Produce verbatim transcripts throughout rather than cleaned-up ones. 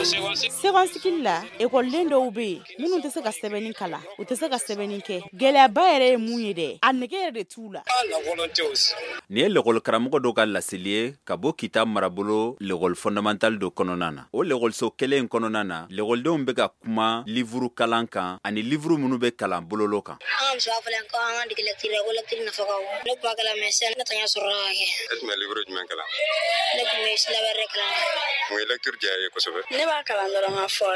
Second cycle la, ekɔliden dɔw bɛ yen minnu tɛ se ka sɛbɛnni kalan, u tɛ se ka sɛbɛnni kɛ. Gɛlɛyaba yɛrɛ ye mun ye dɛ, a nege yɛrɛ de t'u la. Nin ye lekɔlikaramɔgɔ dɔ ka laseli ye ka bɔ Kita marabolo l'école fondamentale dɔ kɔnɔna na. O lekɔliso kelen in kɔnɔna na, lekɔlidenw bɛ ka kuma livre kalan kan ani livre minnu bɛ kalan bololo kan. An ka muso b'a fɔ ko an ka dege lecture la, ko lecture nafa ka bon. Ne tun b'a kalan mais sisan ne tɛ ɲɛ sɔrɔ ka kɛ. E tun bɛ livre jumɛn kalan? Ne tun bɛ syllabaire de kalan. Mun ye lecture diya i ye kosɛbɛ? Ne b'a kalan dɔrɔn ka fɔ.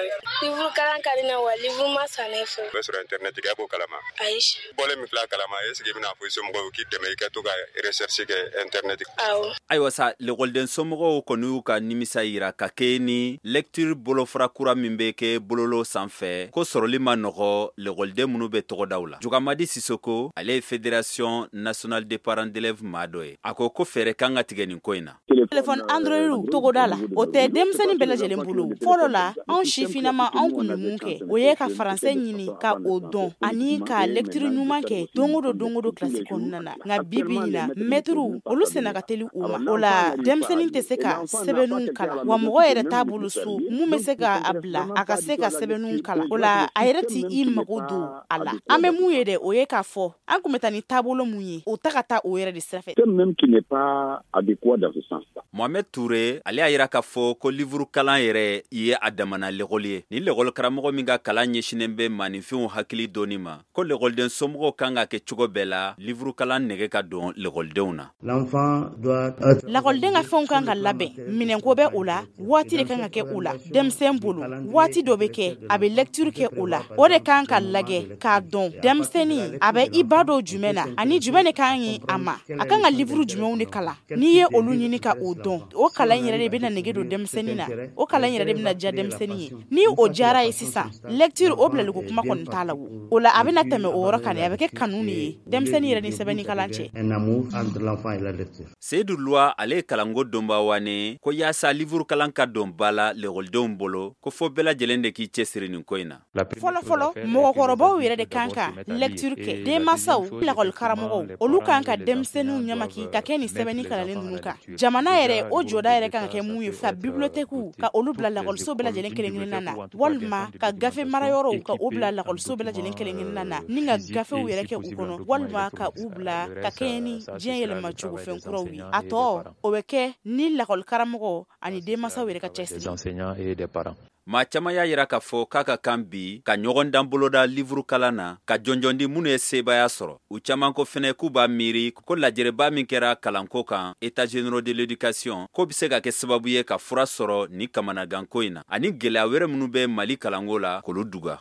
Livre kalan ka di ne wa livre ma san ne fɛ. O bɛ sɔrɔ internet kan, e b'o kalama? Ayi. Bɔlen min filɛ a kalama, est ce que i bɛna fɔ i somɔgɔw k'i dɛmɛ i ka to ka recherche kɛ internet kan? Awɔ. Ayiwa sa, lekɔliden somɔgɔw kɔni y'u ka nimisa yira ka kɛ ni lecture bolofara kura min bɛ kɛ bololo sanfɛ, ko sɔrɔli ma nɔgɔ lekɔliden minnu bɛ tɔgɔdaw la. Jogamadi Sisoko, ale ye Fédération nationale des parents d'élèves maa dɔ ye. A ko ko fɛɛrɛ kan ka tigɛ nin ko in na. Téléphone Android togoda la, o tɛ denmisɛnnin bɛɛ lajɛlen bolo. Fɔlɔ la, anw sifinnama, anw kun bɛ mun kɛ? O ye ka faransɛ ɲini ka o dɔn ani ka lecture ɲuman kɛ don o don don o don kilasi kɔnɔna na. Nka bi bi in na, mɛtiriw olu senna ka teli u ma. O la denmisɛnnin tɛ se ka sɛbɛnniw kalan, wa mɔgɔ yɛrɛ t'a bolo so mun bɛ se ka a bila a ka se ka sɛbɛnniw kalan. O la a yɛrɛ ti i mago don a la. An bɛ mun ye dɛ, o ye k'a fɔ an kun bɛ taa ni taabolo mun ye, o ta ka taa o yɛrɛ de sira fɛ. Même qui n'est pas adéquat dans ce sens-là. Mohamed Touré, ale y'a yira k'a fɔ ko livre kalan yɛrɛ ye a damana lekɔli ye. Ni lekɔli karamɔgɔ min ka kalan ɲɛsinnen bɛ maaninfinw hakili dɔnni ma, ko lekɔliden somɔgɔw kan ka kɛ cogo bɛɛ la livre kalan nɛgɛ ka don lekɔlidenw na. Lakɔliden ka fɛnw kan ka labɛn, minɛnko bɛ o la, waati de kan ka kɛ o la. Denmisɛn bolo, waati dɔ bɛ kɛ a bɛ lecture kɛ o la, o de kan ka lajɛ k'a dɔn denmisɛnnin a bɛ i ba dɔ jumɛn na ani jumɛn de kan ɲi a ma, a kan ka livre jumɛnw de kalan. N'i ye olu ɲini ka o dɔn, o kalan yɛrɛ de bɛna nege don denmisɛnnin na, o kalan yɛrɛ de bɛna diya denmisɛnnin ye. Ni o diyara ye sisan, lecture o bilaliko kuma kɔni t'a la. O o la a bɛna tɛmɛ o yɔrɔ kan, a bɛ kɛ kanu de ye denmisɛnnin yɛrɛ ni sɛbɛnni kalan cɛ. Seyidu Luwa, ale ye kalanko donbawane, ko yaasa livre kalan ka don ba la lekɔlidenw bolo, ko fɔ bɛɛ lajɛlen de k'i cɛsiri nin ko in na. Fɔlɔ fɔlɔ, mɔgɔkɔrɔbaw yɛrɛ de kan ka lecture kɛ. Denmansaw, lakɔlikaramɔgɔw, olu kan ka denmisɛnninw ɲamaki ka kɛ nin sɛbɛnni kalanlen ninnu kan. Jamana yɛrɛ, o jɔda yɛrɛ kan ka kɛ mun ye? Ka bibliothèque ka olu bila lakɔliso bɛɛ lajɛlen kelen kelenna na, walima ka gafe marayɔrɔw ka o bila lakɔliso bɛɛ lajɛlen kelen kelenna na, ni ka gafew yɛrɛ kɛ u kɔnɔ, walima ka u bila ka kɛɲɛ ni diɲɛ yɛlɛma cogo fɛn kuraw ye. A tɔ, o bɛ kɛ ni lakɔlikaramɔgɔ ani denmansaw yɛrɛ ka cɛsiri. Maa caman y'a yira k'a fɔ k'a ka kan bi ka ɲɔgɔn dan boloda livre kalan na, ka jɔnjɔn di minnu ye sebaaya sɔrɔ. U caman ko fɛnɛ k'u b'a miiri ko lajɛrɛba min kɛra kalanko kan, États généraux de l'éducation, k'o bɛ se ka kɛ sababu ye ka fura sɔrɔ ni kamanaganko in na ani gɛlɛya wɛrɛ minnu bɛ Mali kalanko la, k'olu duga.